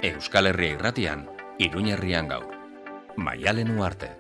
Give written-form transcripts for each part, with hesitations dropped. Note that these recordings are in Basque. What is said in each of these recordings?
Euskal Herria Irratian, Iruñerrian gaur. Maialen Uarte.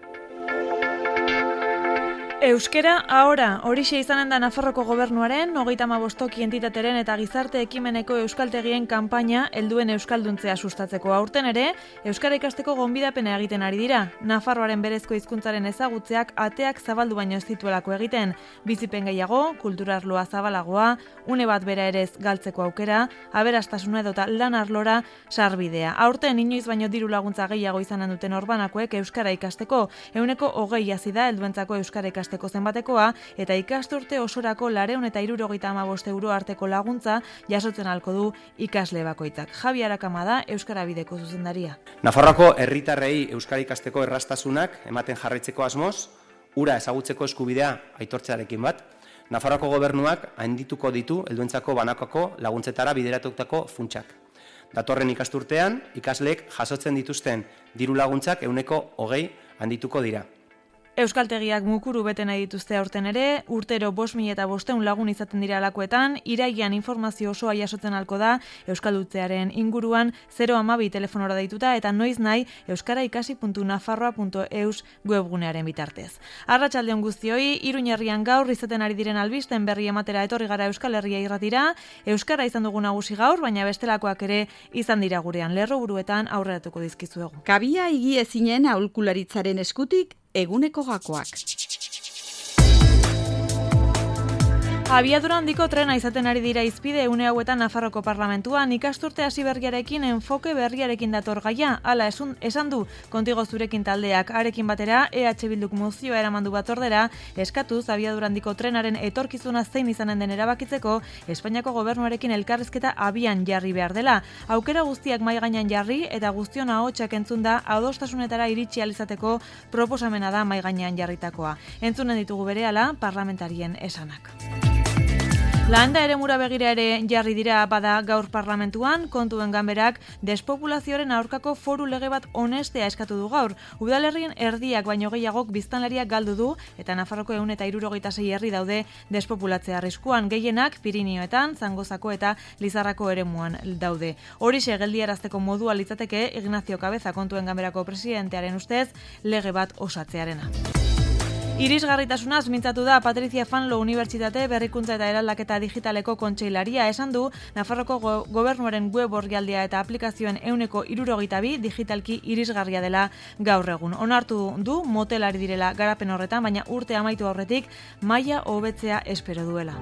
Euskera ahora, horixe izanen da Nafarroko gobernuaren, 35 entitateren eta gizarte ekimeneko euskaltegien kanpaina helduen euskalduntzea sustatzeko. Aurten ere, euskara ikasteko gonbidapena egiten ari dira. Nafarroaren berezko hizkuntzaren ezagutzeak ateak zabaldu baino ez dituelako egiten. Bizipen gehiago, kulturarloa zabalagoa, une bat bera ere ez galtzeko aukera, aberastasuna edota lan arlora sarbidea. Aurten inoiz baino diru laguntza gehiago izanen duten orbanakoek euskara ikasteko, 120 hazi da helduentzako euskara ikasteko zenbatekoa, eta ikasturte osorako 275 euro arteko laguntza jasotzen halko du ikasle bakoitzak. Javi Arakama da Euskara Bideko zuzendaria. Nafarroako herritarrei euskara ikasteko erraztasunak ematen jarraitzeko asmoz, hura ezagutzeko eskubidea aitortzearekin bat, Nafarroako gobernuak handituko ditu helduentzako banakako laguntzetara bideratutako funtsak. Datorren ikasturtean, ikasleek jasotzen dituzten diru laguntzak 120 handituko dira. Euskaltegiak mukuru bete nahi dituzte aurten ere, urtero 5.500 lagun izaten dira alakoetan, irailean informazio osoa jasotzen halko da euskaldutzearen inguruan 012 telefonora deituta eta noiz nahi euskaraikasi.nafarroa.eus webgunearen bitartez. Arratsaldeon guztioi, Iruñerrian gaur izaten ari diren albisten berri ematera etorri gara Euskal Herria Irratira. Euskara izan dugu nagusi gaur, baina bestelakoak ere izan dira gurean lerroburuetan aurreratuko dizkizuegu. Kabia higiezinen aholkularitzaren eskutik eguneko gakoak. Abiadura handiko trena izaten ari dira hizpide une hauetan Nafarroko parlamentuan, ikasturte hasi berriarekin enfoke berriarekin dator gaia. Hala esan du Kontigo Zurekin taldeak, arekin batera EH Bilduk mozioa eramandu batzordera, eskatuz abiadura handiko trenaren etorkizuna zein izanen den erabakitzeko Espainiako gobernuarekin elkarrizketa abian jarri behar dela. Aukera guztiak mahai gainean jarri eta guztion ahotsak entzunda adostasunetara iritsi ahal izateko proposamena da mahai gainean jarritakoa. Entzunen ditugu berehala parlamentarien esanak. Landa eremura begira ere jarri dira bada gaur parlamentuan, Kontuen Ganberak despopulazioaren aurkako foru lege bat onestea eskatu du gaur. Udalerrien erdiak baino gehiagok biztanleriak galdu du eta Nafarroko 176 herri daude despopulatzea arriskuan, gehienak Pirinioetan, Zangozako eta Lizarrako eremuan daude. Horixe geldiarazteko modua litzateke Ignacio Cabeza Kontuen Ganberako presidentearen ustez lege bat osatzearena. Irisgarritasunaz mintzatu da Patricia Fanlo Unibertsitate Berrikuntza eta Eraldaketa Digitaleko kontseilaria. Esan du Nafarroko gobernuaren web orrialdea eta aplikazioen 162 digitalki irisgarria dela gaur egun. Onartu du motelari direla garapen horretan, baina urte amaitu aurretik maila hobetzea espero duela.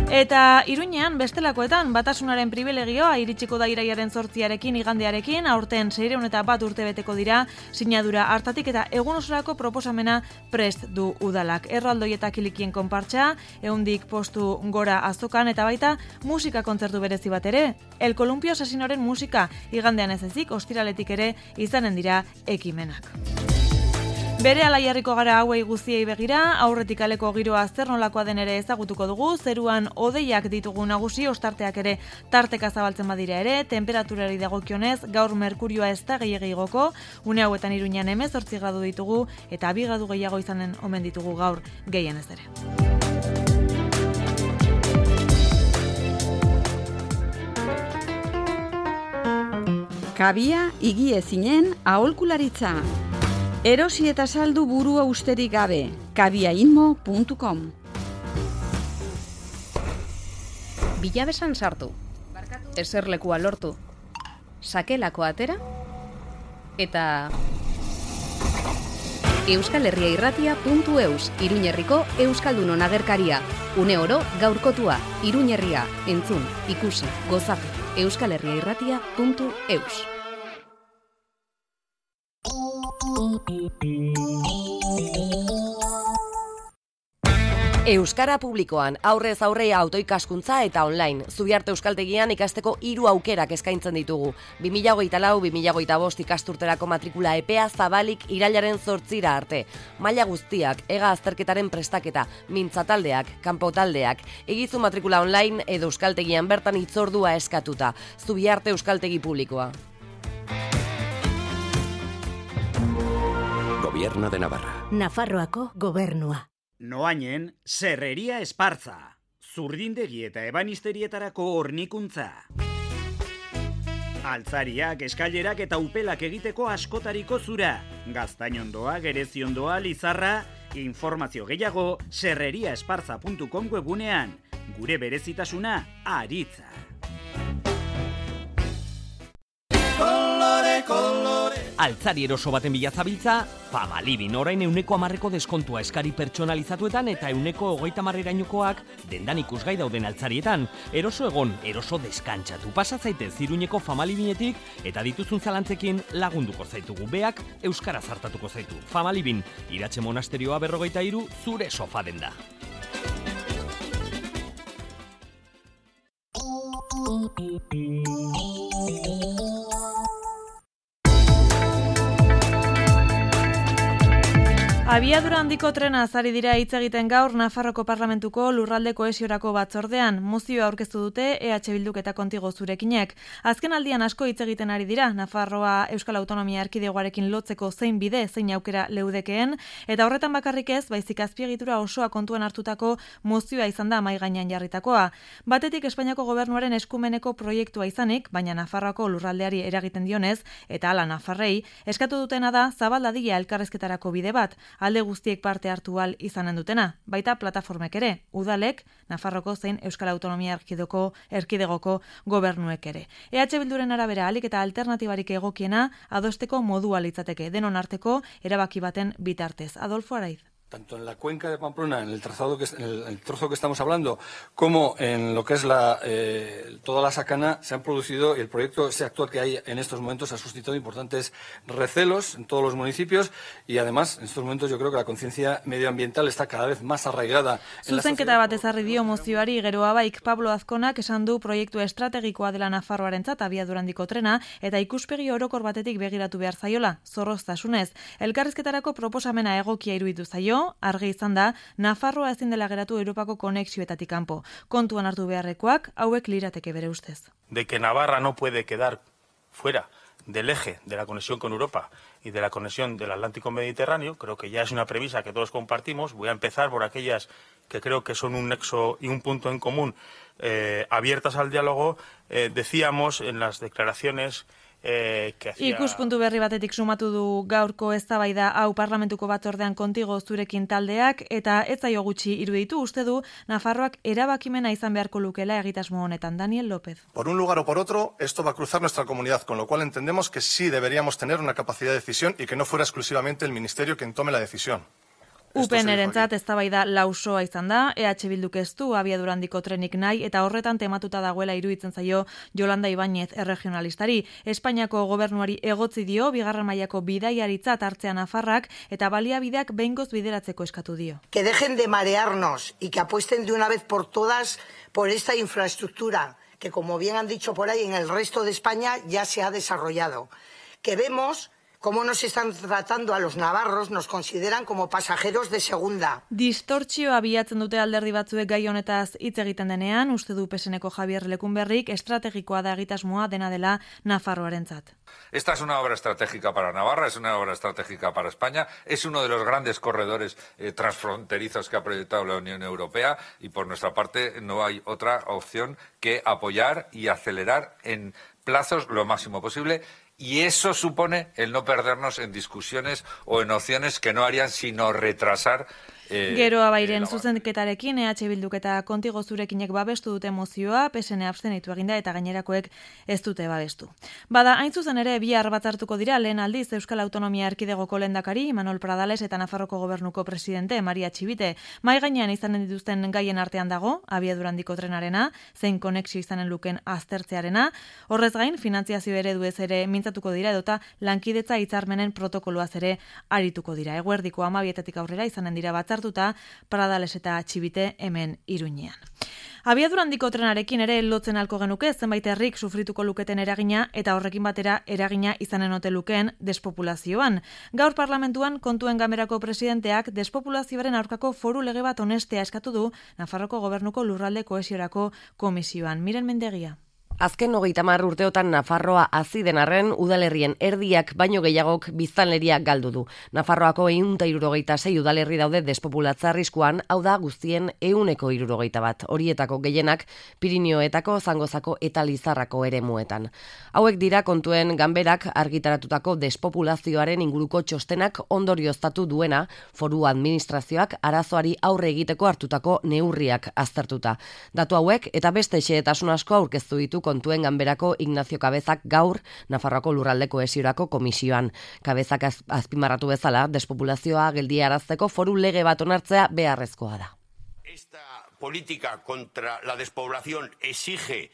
Eta Iruñean bestelakoetan batasunaren privilegioa iritsiko da iraiaren 8arekin igandearekin, aurten 601 urte beteko dira sinadura hartatik eta egun osorako proposamena prest du udalak. Erraldoi eta kilikien konpartsa, 100 postu gora azokan eta baita musika kontzertu berezi bat ere. El Columpio Asesinoren musika igandean ez ezik, ostiraletik ere izanen dira ekimenak. Bere alaiarriko gara hauei guztiei begira, aurretik aleko giroa zer nolakoa den ere ezagutuko dugu, zeruan hodeiak ditugu nagusi, ostarteak ere tarteka zabaltzen badira ere, temperaturari dagokionez, gaur merkurioa ez da gehiegi igoko, une hauetan Iruñean 18 gradu ditugu, eta 2 gradu gehiago izanen omen ditugu gaur gehien ez ere. Kabia higiezinen aholkularitza. Erosi eta saldu burua usterik gabe, kabiainmo.com. Bilabesan sartu, eserlekua lortu, sakelako atera, eta euskalherriairratia.eus, Iruñerriko Euskaldunon agerkaria, une oro gaurkotua, Iruñerria, entzun, ikusi, gozatu, euskalherriairratia.eus. Euskara publikoan, aurrez aurrea autoikaskuntza eta online. Zubiarte Euskaltegian ikasteko 3 aukerak eskaintzen ditugu. 2024-2025 ikasturterako matrikula epea zabalik irailaren 8 arte. Maila guztiak, ega azterketaren prestaketa, mintzataldeak, kanpotaldeak, egizu matrikula online edo Euskaltegian bertan hitzordua eskatuta. Zubiarte Euskaltegi publikoa. Gobierno de Navarra. Nafarroako gobernua. Noainen, Serreria Espartza. Zurdindegi eta ebanisterietarako hornikuntza. Altzariak, eskailerak eta upelak egiteko askotariko zura. Gaztainondoa, gereziondoa, Lizarra, informazio gehiago serreriaesparza.com webunean. Gure berezitasuna, aritza. Altzari eroso baten bila zabiltza, Famalibin orain 100% deskontua eskari pertsonalizatuetan eta 130%koak dendan ikusgai dauden altzarietan. Eroso egon, eroso deskantsatu. Pasa zaitez Iruñeko Famalibinetik eta dituzun zalantzekin lagunduko zaitugu. Beak euskaraz hartatuko zaitu. Famalibin, Iratxe Monasterioa 43, zure sofa denda. Abiadura handiko trena ari dira hitz egiten gaur Nafarroko Parlamentuko lurralde kohesiorako batzordean. Mozioa aurkeztu dute EH Bilduk eta Kontigo Zurekinek. Azken aldian asko hitz egiten ari dira Nafarroa Euskal Autonomia Erkidegoarekin lotzeko zein bide, zein aukera leudekeen, eta horretan bakarrik ez, baizik azpiegitura osoa kontuan hartutako mozioa izan da mahai gainean jarritakoa. Batetik Espainiako gobernuaren eskumeneko proiektua izanik, baina Nafarroako lurraldeari eragiten dionez, eta hala Nafarrei, eskatu dutena da zabaldadila elkarrezketarako bide bat, alde guztiek parte hartu ahal izanen dutena, baita plataformek ere, udalek, Nafarroko zein Euskal Autonomia Erkidegoko gobernuek ere. EH Bilduren arabera alik eta alternatibarik egokiena adosteko modua litzateke, denon arteko erabaki baten bitartez. Adolfo Araiz. Tanto en la cuenca de Pamplona, en el trozo que estamos hablando, como en lo que es toda la Sacana, se han producido, y el proyecto actual que hay en estos momentos ha suscitado importantes recelos en todos los municipios, y además, en estos momentos yo creo que la conciencia medioambiental está cada vez más arraigada. Zuzenketa bat ezarri dio mozioari geroa baik Pablo Azkonak esan du proiektu estrategikoa dela Nafarroarentzat abiadura handiko trena, eta ikuspegi orokor batetik begiratu behar zaiola, zorroztasunez. Elkarrizketarako proposamena egokia iruditu zaio, argi izan da, Nafarroa ezin dela geratu Europako konexioetatik kanpo. Kontuan hartu beharrekoak, hauek lirateke bere ustez. De que Navarra no puede quedar fuera del eje de la conexión con Europa y de la conexión del Atlántico Mediterráneo, creo que ya es una premisa que todos compartimos. Voy a empezar por aquellas que creo que son un nexo y un punto en común abiertas al diálogo. Decíamos en las declaraciones Ikuspuntu berri batetik sumatu du gaurko eztabaida hau Parlamentuko batzordean Kontigo Zurekin taldeak, eta ez zaio gutxi iruditu uste du Nafarroak erabakimena izan beharko lukela egitasmo honetan. Daniel López. Por un lugar o por otro, esto va a cruzar nuestra comunidad, con lo cual entendemos que sí deberíamos tener una capacidad de decisión y que no fuera exclusivamente el Ministerio quien tome la decisión. UPN-erentzat eztabaida lausoa izan da, EH Bilduk ez du abiadura handiko trenik nahi eta horretan tematuta dagoela iruditzen zaio Yolanda Ibáñez erregionalistari. Espainiako gobernuari egotzi dio bigarren mailako bidaiaritzat hartzea Nafarrak eta baliabideak behingoz bideratzeko eskatu dio. Que dejen de marearnos y que apuesten de una vez por todas por esta infraestructura que, como bien han dicho por ahí, en el resto de España ya se ha desarrollado. Que vemos cómo nos están tratando a los navarros, nos consideran como pasajeros de segunda. Distortzioa bilatzen dute alderdi batzuek gai honetaz hitz egiten denean, uste du PSNeko Javier Lecumberrik estrategikoa da egitasmoa dena dela Nafarroarentzat. Esta es una obra estratégica para Navarra, es una obra estratégica para España, es uno de los grandes corredores transfronterizos que ha proyectado la Unión Europea y por nuestra parte no hay otra opción que apoyar y acelerar en plazos lo máximo posible. Y eso supone el no perdernos en discusiones o en opciones que no harían sino retrasar Geroa bairen zuzenketarekin EH Bilduk eta Kontigo Zurekinek babestu dute mozioa, PSN abstenitu eginda eta gainerakoek ez dute babestu. Bada, hain zuzen ere bihar batzartuko dira lehen aldiz Euskal Autonomia Erkidegoko lehendakari Imanol Pradales eta Nafarroko Gobernuko presidente Maria Txibite. Mahai gainean izanen dituzten gaien artean dago, abiadura handiko trenarena, zein konexio izanen luken aztertzearena, horrez gain finantziazio ereduez ere mintzatuko dira edota lankidetza hitzarmenen protokoloaz ere arituko dira. Eguerdiko 12 aurrera izanen dira batzartuta Pradales eta Txibite hemen Iruñean. Abiadura handiko trenarekin ere lotzen alko genuke zenbait herrik sufrituko luketen eragina eta horrekin batera eragina izanen ote lukeen despopulazioan. Gaur parlamentuan Kontuen Ganberako presidenteak despopulazioaren aurkako foru lege bat onestea eskatu du Nafarroko Gobernuko lurralde kohesiorako komisioan. Miren Mendegia. Azken 30 urteotan Nafarroa hazi den arren, udalerrien erdiak baino gehiagok biztanleria galdu du. Nafarroako 176 udalerri daude despopulatza arriskuan, hau da guztien 161. Horietako gehienak Pirinioetako, Zangozako eta Lizarrako eremuetan. Hauek dira kontuen ganberak argitaratutako despopulazioaren inguruko txostenak ondorioztatu duena, foru administrazioak arazoari aurre egiteko hartutako neurriak aztertuta. Datu hauek eta beste xehetasun asko aurkeztu ditu kontuen ganberako Ignacio Cabezak gaur Nafarroako lurralde kohesiorako komisioan. Cabezak azpimarratu bezala, despopulazioa geldiarazteko foru lege bat onartzea beharrezkoa da. Esta política contra la despoblación exige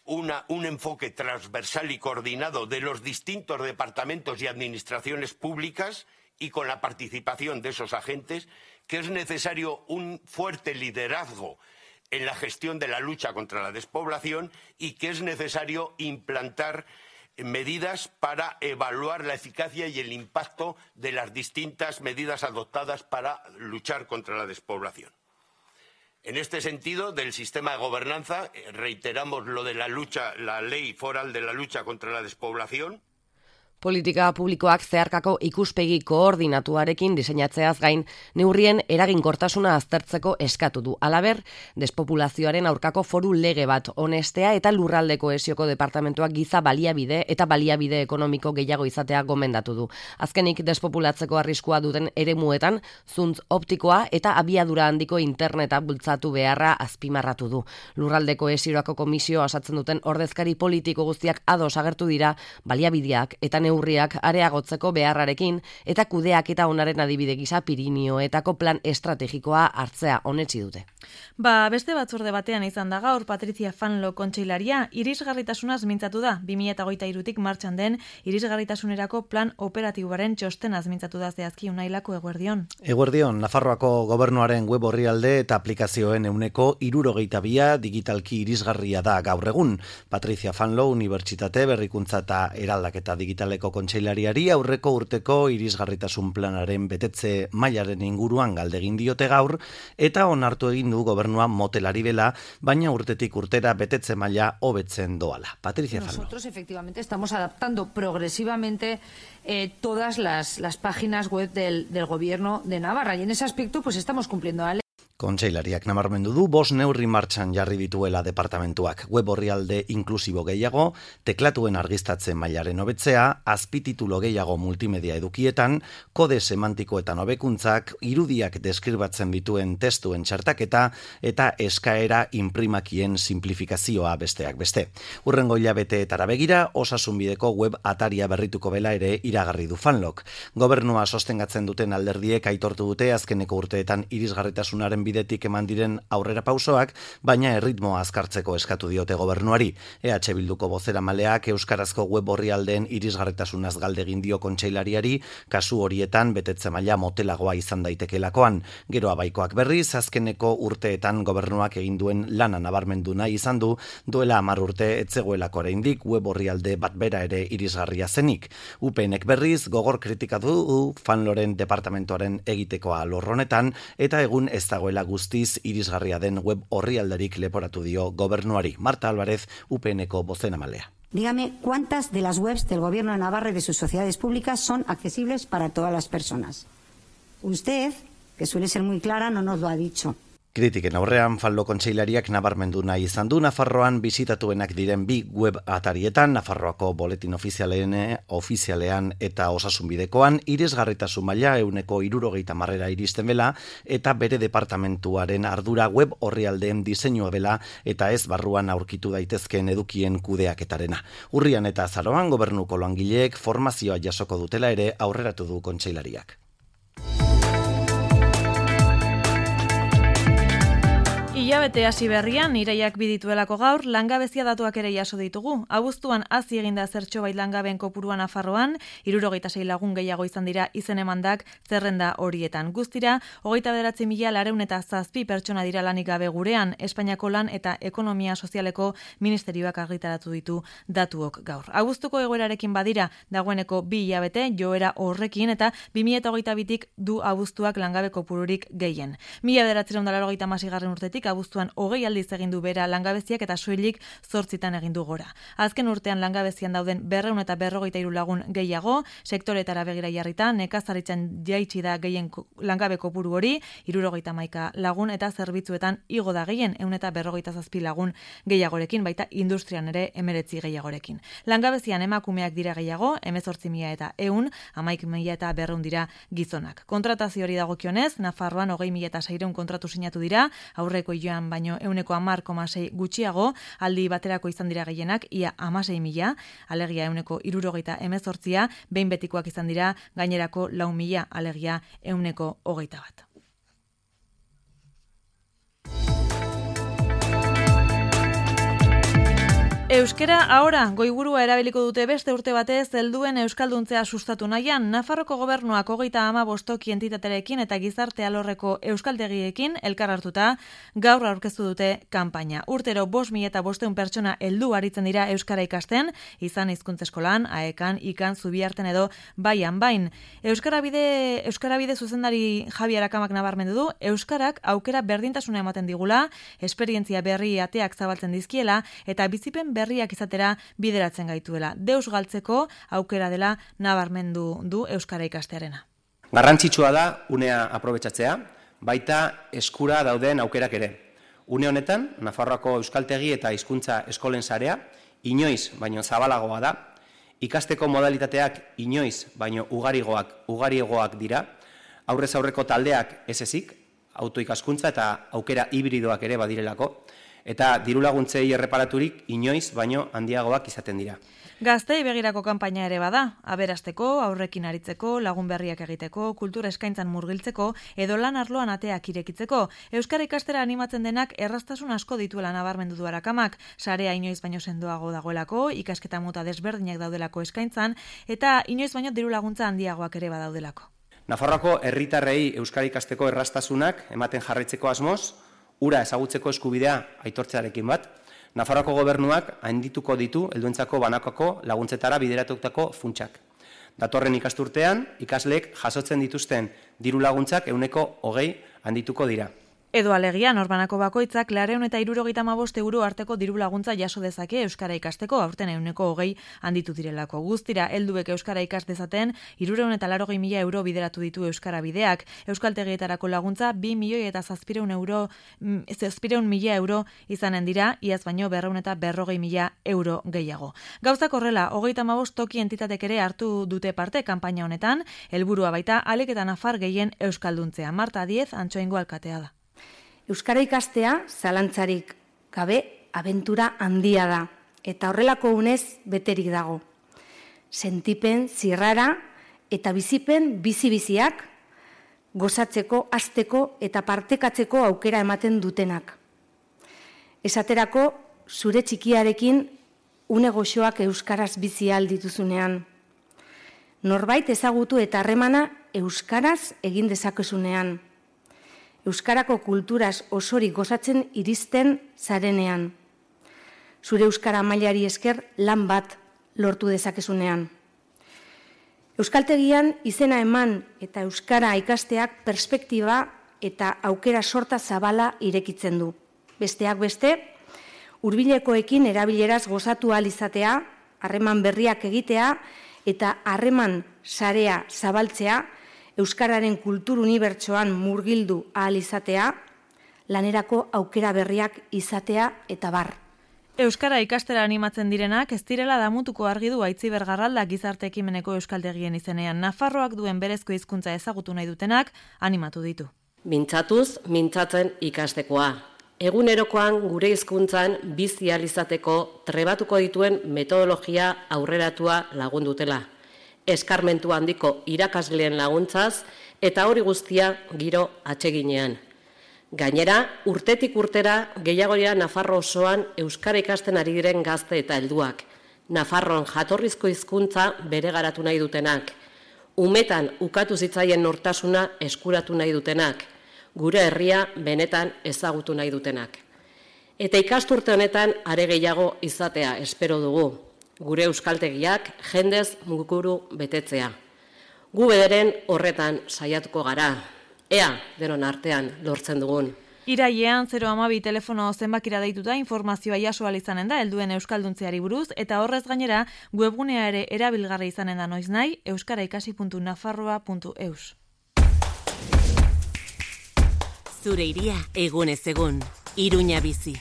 un enfoque transversal y coordinado de los distintos departamentos y administraciones públicas y con la participación de esos agentes, que es necesario un fuerte liderazgo en la gestión de la lucha contra la despoblación y que es necesario implantar medidas para evaluar la eficacia y el impacto de las distintas medidas adoptadas para luchar contra la despoblación. En este sentido, del sistema de gobernanza, reiteramos lo de la ley foral de la lucha contra la despoblación. Politika publikoak zeharkako ikuspegi koordinatuarekin diseinatzeaz gain, neurrien eraginkortasuna aztertzeko eskatu du. Halaber, despopulazioaren aurkako foru lege bat onestea eta lurralde kohesioko departamentuak giza baliabide eta baliabide ekonomiko gehiago izatea gomendatu du. Azkenik, despopulatzeko arriskua duten eremuetan, zuntz optikoa eta abiadura handiko interneta bultzatu beharra azpimarratu du. Lurralde kohesiorako komisioa osatzen duten ordezkari politiko guztiak ados agertu dira baliabideak eta neurriak areagotzeko beharrarekin eta kudeak eta onaren adibide gisa Pirinioetako plan estrategikoa hartzea onetsi dute. Beste batzorde batean izan da gaur Patricia Fanlo kontseilaria irisgarritasunaz mintzatu da. 2023tik martxan den irisgarritasunerako plan operatiboaren txostenaz mintzatu da zehazki Unailako eguerdion. Eguerdion, Nafarroako gobernuaren web orrialde eta aplikazioen 72% digitalki irisgarria da gaur egun. Patricia Fanlo Unibertsitate Berrikuntza eta Eraldaketa Digitaleko kontseilariari aurreko urteko irisgarritasun planaren betetze mailaren inguruan galdegin diote gaur eta onartu egin du gobernua motelari bela, baina urtetik urtera betetze maila hobetzen doala. Patricia Fanlo. Nosotros efectivamente estamos adaptando progresivamente todas las páginas web del gobierno de Navarra y en ese aspecto pues estamos cumpliendo la ley. Kontseilariak nabarmendu du 5 neurri martxan jarri dituela departamentuak. Web orrialde inklusibo gehiago, teklatuen argiztatzen mailaren hobetzea, azpititulo gehiago multimedia edukietan, kode semantikoetan hobekuntzak, irudiak deskribatzen dituen testuen txartaketa eta eskaera inprimakien simplifikazioa besteak beste. Hurrengo hilabeteetara begira, osasunbideko web ataria berrituko bela ere iragarri du Fanlok. Gobernua sostengatzen duten alderdiek aitortu dute azkeneko urteetan irisgarritasunaren bidetik eman diren aurrera pausoak, baina erritmoa azkartzeko eskatu diote gobernuari. EH Bilduko bozeramaleak euskarazko web orrialdeen irisgarritasunaz galdegin dio kontseilariari, kasu horietan betetze maila motelagoa izan daitekeelakoan. Gero abaikoak berriz, azkeneko urteetan gobernuak egin duen lana nabarmendu nahi izan du, duela 10 urte etzegoelako oraindik web orrialde bat bera ere irisgarria zenik. UPNek berriz gogor kritikatu du Fanloren departamentoaren egitekoa lorronetan eta egun ez dagoela guztiz irisgarria den web orrialderik leporatu dio gobernuari. Marta Álvarez, UPNeko bozenamalea. Dígame cuántas de las webs del Gobierno de Navarra y de sus sociedades públicas son accesibles para todas las personas. Usted, que suele ser muy clara, no nos lo ha dicho. Kritiken aurrean, Fanlo kontseilariak nabarmendu nahi izan du Nafarroan bisitatuenak diren 2 web atarietan, Nafarroako boletin ofizialean eta osasunbidekoan, irisgarritasun maila 70% iristen bela, eta bere departamentuaren ardura web orrialdeen diseinua bela, eta ez barruan aurkitu daitezkeen edukien kudeaketarena. Urrian eta azaroan gobernuko langileek formazioa jasoko dutela ere aurreratu du kontseilariak. Hilabete hasi berrian, iraiak bidituelako gaur, langabezia datuak ere jaso ditugu. Abuztuan hazi eginda zertxobait langabeen kopurua Nafarroan, 76 lagun gehiago izan dira izen emandak zerrenda horietan. Guztira, 29.407 pertsona dira lanik gabe gurean, Espainiako lan eta ekonomia sozialeko ministerioak argitaratu ditu datuok gaur. Abuztuko egoerarekin badira, dagoeneko 2 hilabete joera horrekin eta 2022tik du abuztuak langabe kopururik gehien. 1986 urtetik abuztua abuztuan 20 aldiz egin du bera langabeziak eta soilik 8 egin du gora. Azken urtean langabezian dauden 253 lagun gehiago, sektoretara begira jarrita, nekazaritzan jaitsi da gehien langabe kopuru hori, 71 lagun eta zerbitzuetan igo da gehien 157 lagun gehiagorekin, baita industrian ere 19 gehiagorekin. Langabezian emakumeak dira gehiago, 18.000 eta 100, 11.000 eta 200 dira gizonak. Kontratazio hori dagokionez, Nafarroan 20.000 eta 600 kontratu sinatu dira, aurreko joan baino 10,6 gutxiago, aldi baterako izan dira gehienak, ia 16.000, alegia 178, behin betikoak izan dira, gainerako 4.000, alegia 121. Euskera ahora, goiburua erabiliko dute beste urte batez helduen euskalduntzea sustatu nahian, Nafarroko gobernuak 35 entitaterekin eta gizarte alorreko euskaltegiekin elkar hartuta gaur aurkeztu dute kanpaina. Urtero 5.500 pertsona heldu aritzen dira euskara ikasten, izan hizkuntza eskolan, aekan, ikan, zubiarten edo baian bain. Euskarabide zuzendari Javi Arakamak nabarmendu du, euskarak aukera berdintasuna ematen digula, esperientzia berri ateak zabaltzen dizkiela eta bizipen berriak izatera bideratzen gaituela. Deus galtzeko aukera dela nabarmendu du euskara ikastearena. Garrantzitsua da unea aprobetxatzea, baita eskura dauden aukerak ere. Une honetan, Nafarroako euskaltegi eta hizkuntza eskolen sarea inoiz baino zabalagoa da, ikasteko modalitateak inoiz baino ugariegoak dira, aurrez aurreko taldeak ez ezik, autoikaskuntza eta aukera hibridoak ere badirelako, eta dirulaguntzei erreparaturik inoiz baino handiagoak izaten dira. Gaztei begirako kanpaina ere bada, aberasteko, aurrekin aritzeko, lagun berriak egiteko, kultura eskaintzan murgiltzeko, edo lan arloan ateak irekitzeko. Euskara ikastera animatzen denak erraztasun asko dituela nabarmendu du Arakamak, sarea inoiz baino sendoago dagoelako, ikasketa mota desberdinak daudelako eskaintzan, eta inoiz baino dirulaguntza handiagoak ere badaudelako. Nafarroako herritarrei euskara ikasteko erraztasunak ematen jarraitzeko asmoz, ura ezagutzeko eskubidea aitortzearekin bat, Nafarroako gobernuak handituko ditu helduentzako banakako laguntzetara bideratutako funtsak. Datorren ikasturtean, ikasleek jasotzen dituzten diru laguntzak 20% handituko dira. Edo alegia, norbanako bakoitzak 275 euro arteko diru laguntza jaso dezake euskara ikasteko, aurten 20% handitu direlako. Guztira, helduek euskara ikas dezaten 380.000 euro bideratu ditu euskara bideak. Euskaltegietarako laguntza 2.700.000 euro izanen dira, iaz baino 240.000 euro gehiago. Gauzak horrela, 35 toki entitatek ere hartu dute parte kanpaina honetan, helburua baita Alek eta Nafar gehien euskalduntzea. Marta Diez, Antxoaingo alkatea da. Euskara ikastea, zalantzarik gabe, abentura handia da, eta horrelako unez beterik dago. Sentipen, zirrara eta bizipen bizi-biziak, gozatzeko, hasteko eta partekatzeko aukera ematen dutenak. Esaterako, zure txikiarekin une goxoak euskaraz bizi ahal dituzunean. Norbait ezagutu eta harremana euskaraz egin dezakezunean. Euskarako kulturaz osorik gozatzen iristen zarenean. Zure euskara mailari esker lan bat lortu dezakezunean. Euskaltegian izena eman eta euskara ikasteak perspektiba eta aukera sorta zabala irekitzen du. Besteak beste, hurbilekoekin erabileraz gozatu ahal izatea, harreman berriak egitea eta harreman sarea zabaltzea, euskararen kultur unibertsoan murgildu ahal izatea, lanerako aukera berriak izatea eta bar. Euskara ikastera animatzen direnak ez direla damutuko argi du Aitziber Garralda gizarte ekimeneko euskaltegien izenean. Nafarroak duen berezko hizkuntza ezagutu nahi dutenak animatu ditu. Mintzatuz, mintzatzen ikastekoa. Egunerokoan gure hizkuntzan bizi ahal izateko trebatuko dituen metodologia aurreratua lagundutela. Eskarmentu handiko irakasleen laguntzaz eta hori guztia giro atseginean. Gainera, urtetik urtera gehiagoria Nafarro osoan euskara ikasten ari diren gazte eta helduak. Nafarroan jatorrizko hizkuntza bere garatu nahi dutenak. Umetan ukatu zitzaien nortasuna eskuratu nahi dutenak. Gure herria benetan ezagutu nahi dutenak. Eta ikasturte honetan are gehiago izatea espero dugu. Gure euskaltegiak jendez muguru betetzea. Gu bederen horretan saiatuko gara. Ea, denon artean lortzen dugun. Irailean 012 telefono zenbakira deituta informazioa jaso ahal izanen da helduen euskalduntzeari buruz eta horrez gainera webgunea ere erabilgarri izanen da noiznahi euskaraikasi.nafarroa.eus. Zure iria egunez egun, Iruña bizi.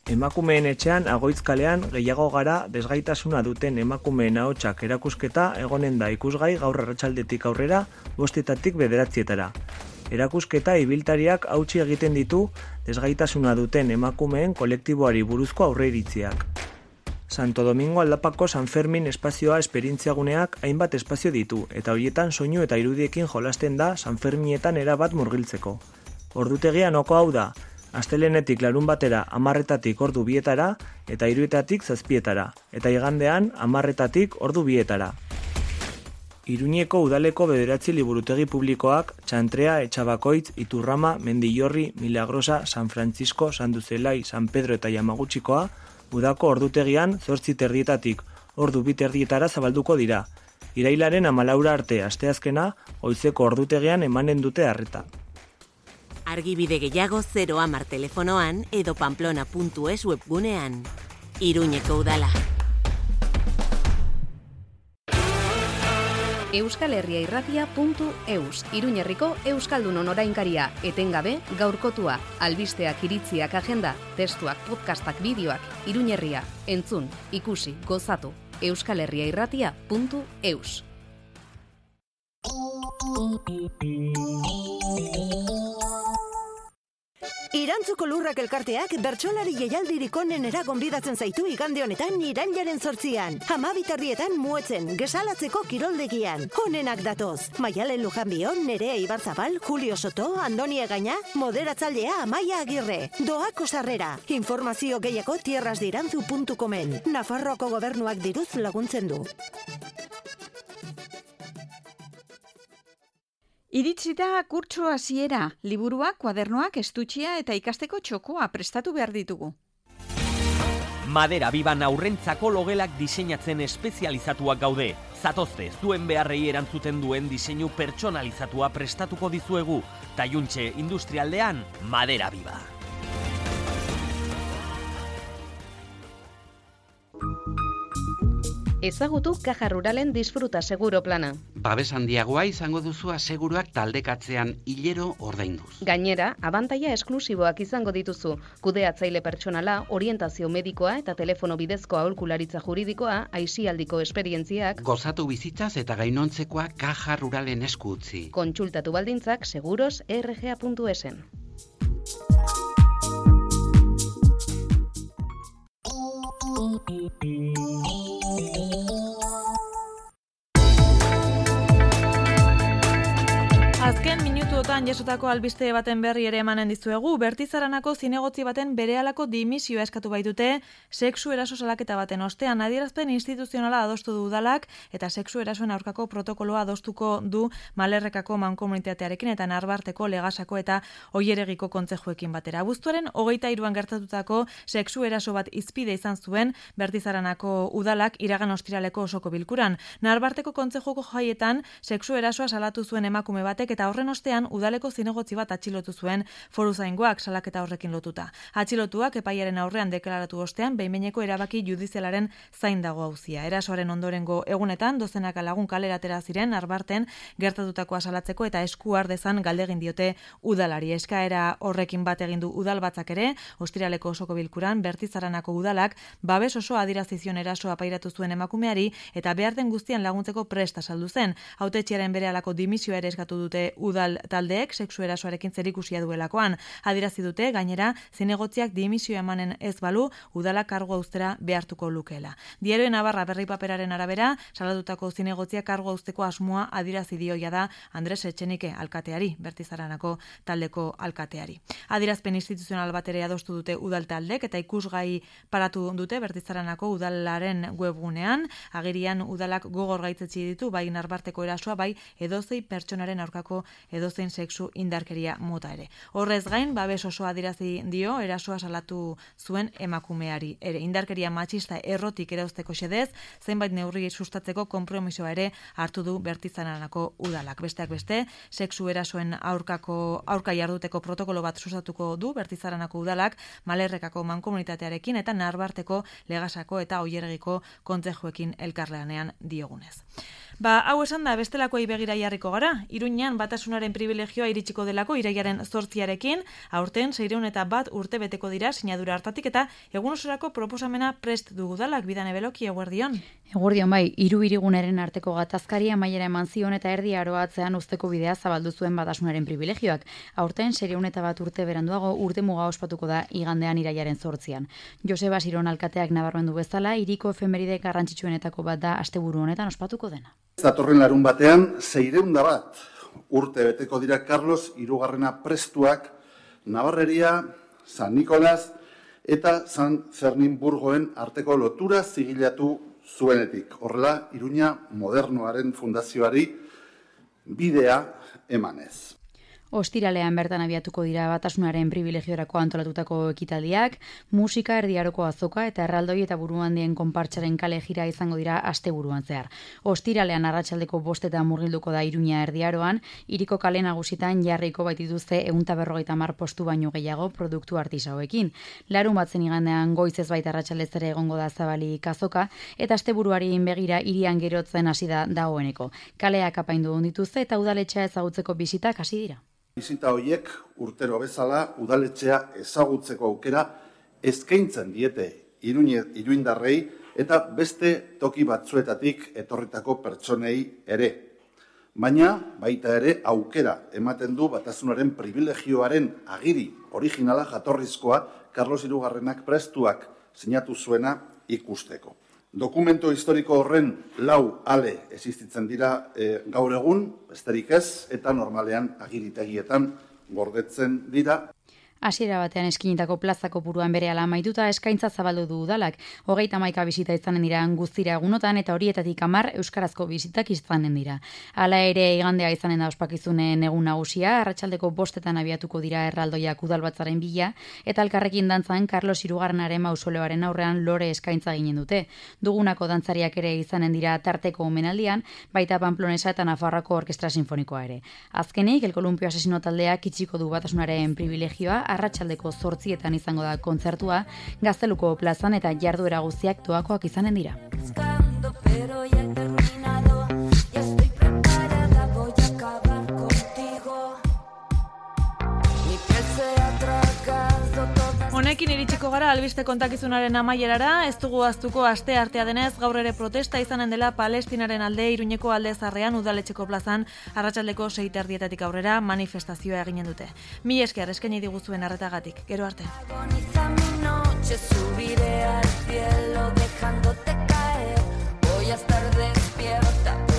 Emakumeen etxean Agoitzkalean gehiago gara desgaitasuna duten emakumeen ahotsak erakusketa egonen da ikusgai gaur arratsaldetik aurrera 5:00 9:00. Erakusketa ibiltariak hautsi egiten ditu desgaitasuna duten emakumeen kolektiboari buruzko aurreiritziak. Santo Domingo aldapako San Fermin espazioa esperientziaguneak hainbat espazio ditu eta horietan soinu eta irudiekin jolasten da San Ferminetan erabat murgiltzeko. Ordutegia noko hau da, astelenetik larunbatera 10:00 ordu 2:00 eta 3:00 7:00 eta igandean 10:00 ordu 2:00. Iruñeko udaleko 9 liburutegi publikoak Txantrea, Etxabakoitz, Iturrama, Mendillorri, Milagrosa, San Francisco, San Duzelai, San Pedro eta Yamagutxikoa udako ordutegian 8:30 ordu 2:30 zabalduko dira. Irailaren 14 arte asteazkena goizeko ordutegian emanen dute arreta. Argibide gehiago 010 telefonoan edo pamplona.es webgunean. Iruñeko udala. euskalherriairratia.eus, Iruñerriko Euskaldunon orainkaria, etengabe, gaurkotua, albisteak, iritziak, agenda, testuak, podcastak, bideoak, Iruñerria, entzun, ikusi, gozatu, euskalherriairratia.eus. Irantzuko Lurrak elkarteak bertsolari jaialdirik onenera gonbidatzen zaitu igande honetan irailaren 8an. 12:00 Muetzen, Gesalatzeko kiroldegian. Honenak datoz. Maialen Lujanbion, Nerea Ibarzabal, Julio Soto, Andoni Egaña, moderatzailea Amaia Agirre. Doako sarrera. Informazio gehiago tierrasdirantzu.comen. Nafarroako gobernuak diruz laguntzen du. Iritsita kurtso hasiera, liburuak, kuadernoak, estutzia eta ikasteko txokoa prestatu behar ditugu. Madera Biban aurrentzako logelak diseinatzen espezializatuak gaude. Zatozte, zuen beharrei erantzuten duen diseinu pertsonalizatua prestatuko dizuegu. Taiuntxe industrialdean, Madera Biba. Ezagutu Caja Ruralen disfruta seguro plana. Babes handiagoa izango duzu aseguruak taldekatzean hilero ordainduz. Gainera, abantaila esklusiboak izango dituzu. Kudeatzaile pertsonala, orientazio medikoa eta telefono bidezko aholkularitza juridikoa, aisialdiko esperientziak. Gozatu bizitzaz eta gainontzekoa Caja Ruralen esku utzi. Kontsultatu baldintzak seguros.rga.esen. Azken minutuotan jasotako albiste baten berri ere emanen dizuegu, Bertizaranako zinegotzi baten berehalako dimisioa eskatu baitute sexu eraso salaketa baten ostean. Adierazpen instituzionala adostu du udalak eta sexu erasoen aurkako protokoloa adostuko du Malerrekako mankomunitatearekin eta Narbarteko, Legasako eta Oieregiko kontzejuekin batera. Abuztuaren 23an gertatutako sexu eraso bat hizpide izan zuen Bertizaranako udalak iragan ostiraleko osoko bilkuran. Narbarteko kontzejuko jaietan sexu erasoa salatu zuen emakume batek eta horren ostean udaleko zinegotzi bat atxilotu zuen foruzaingoak salaketa horrekin lotuta. Atxilotuak epaiaren aurrean deklaratu ostean behin-behineko erabaki judizialaren zain dago auzia. Erasoaren ondorengo egunetan dozenaka lagun kalera atera ziren Narbarten gertatutakoa salatzeko eta esku har dezan galdegin diote udalari. Eskaera horrekin bat egin du udalbatzak ere, ostiraleko osoko bilkuran Bertizaranako udalak babes oso adierazi zion erasoa pairatu zuen emakumeari eta behar den guztian laguntzeko prest azaldu zen. Hautetxearen berehalako dimisioa ere eskatu dute udal taldeek sexu erasoarekin zerikusia duelakoan. Adierazi dute gainera zinegotziak dimisioa emanen ez balu udalak kargua uztera behartuko lukeela. Diario Navarra berri paperaren arabera salatutako zinegotziak kargua uzteko asmoa adierazi dioia da Andres Etxenike alkateari, Bertizaranako taldeko alkateari. Adierazpen instituzional bat ere adostu dute udal taldek eta ikusgai paratu dute Bertizaranako udalaren webgunean. Agirian udalak gogor gaitzetsi ditu bai Narbarteko erasoa bai edozein pertsonaren aurkako edozein sexu indarkeria mota ere. Horrez gain, babes osoa adirazi dio erasoa salatu zuen emakumeari ere. Indarkeria matxista errotik erauzteko xedez, zenbait neurri sustatzeko konpromisoa ere hartu du Bertizaranako udalak. Besteak beste, sexu erasoen aurka jarduteko protokolo bat sustatuko du Bertizaranako udalak Malerrekako mankomunitatearekin eta Narbarteko, Legasako eta Oiergiko kontzejuekin elkarlanean diogunez. Hau esan da, bestelakoei begira jarriko gara. Iruñan batasunaren privilegioa iritsiko delako iraiaren 8arekin, aurten 601 urte beteko dira sinadura hartatik eta egun osorako proposamena prest dugu dalak. Bidane Beloki, eguerdion. Eguerdion bai, 3 hiriguneren arteko gatazkari amaiera eman zion eta erdi aroatzean uzteko bidea zabaldu zuen batasunaren privilegioak. Aurten 601 urte beranduago urte muga ospatuko da igandean iraiaren 8an. Joseba Siron alkateak nabarmendu bezala, hiriko efemeride garrantzitsuenetako bat da asteburu honetan ospatuko dena. Datorren larun batean, 601 urte beteko dira Carlos hirugarrena prestuak Navarreria, San Nicolás eta San Fernin-Burgoen arteko lotura zigilatu zuenetik. Horrela, Iruña modernoaren fundazioari bidea emanez. Ostiralean bertan abiatuko dira batasunaren privilegiorako antolatutako ekitaldiak, musika, erdiaroko azoka eta erraldoi eta buruhandien konpartsaren kale jira izango dira asteburuan zehar. Ostiralean arratsaldeko 5 murgilduko da Iruña erdiaroan, hiriko kale nagusitan jarriko baitituzte 150 postu baino gehiago produktu artisauekin. Larun batzen igandean goizez baita arratsaldez ere egongo da zabalik azoka eta asteburuari begira hirian gerotzen hasi da dagoeneko. Kaleak apaindu dituzte eta udaletxea ezagutzeko bisitak hasi dira. Bizita horiek urtero bezala udaletxea ezagutzeko aukera eskaintzen diete iruindarrei eta beste toki batzuetatik etorritako pertsonei ere. Baina baita ere aukera ematen du batasunaren privilegioaren agiri originala jatorrizkoa Carlos hirugarrenak prestuak sinatu zuena ikusteko. Dokumento historiko horren 4 ale existitzen dira gaur egun, besterik ez, eta normalean agiritegietan gordetzen dira. Hasiera batean eskinitako plazako buruan berehala amaituta eskaintza zabaldu du udalak. 31 bisita izanen dira guztira egunotan eta horietatik 10 euskarazko bisitak izanen dira. Hala ere igandea izanen da ospakizunen egun nagusia, arratsaldeko 5etan abiatuko dira erraldoiak udalbatzaren bila eta elkarrekin dantzan Carlos hirugarrenaren mausoleoaren aurrean lore eskaintza ginen dute. Dugunako dantzariak ere izanen dira tarteko omenaldian, baita Pamplonesa eta Nafarroako Orkestra Sinfonikoa ere. Azkenik, El Columpio Asesino taldeak itxiko du batasunaren privilegioa, arratsaldeko 8etan izango da kontzertua, Gazteluko plazan eta jarduera guztiak doakoak izanen dira. Honekin iritsiko gara albiste kontakizunaren amaierara, ez dugu ahaztuko asteartea denez gaur ere protesta izanen dela Palestinaren alde Iruñeko alde zarrean udaletxeko plazan arratsaldeko 6:30 aurrera manifestazioa eginen dute. Mila esker eskaini diguzuen arretagatik. Gero arte. Voy a estar despierta.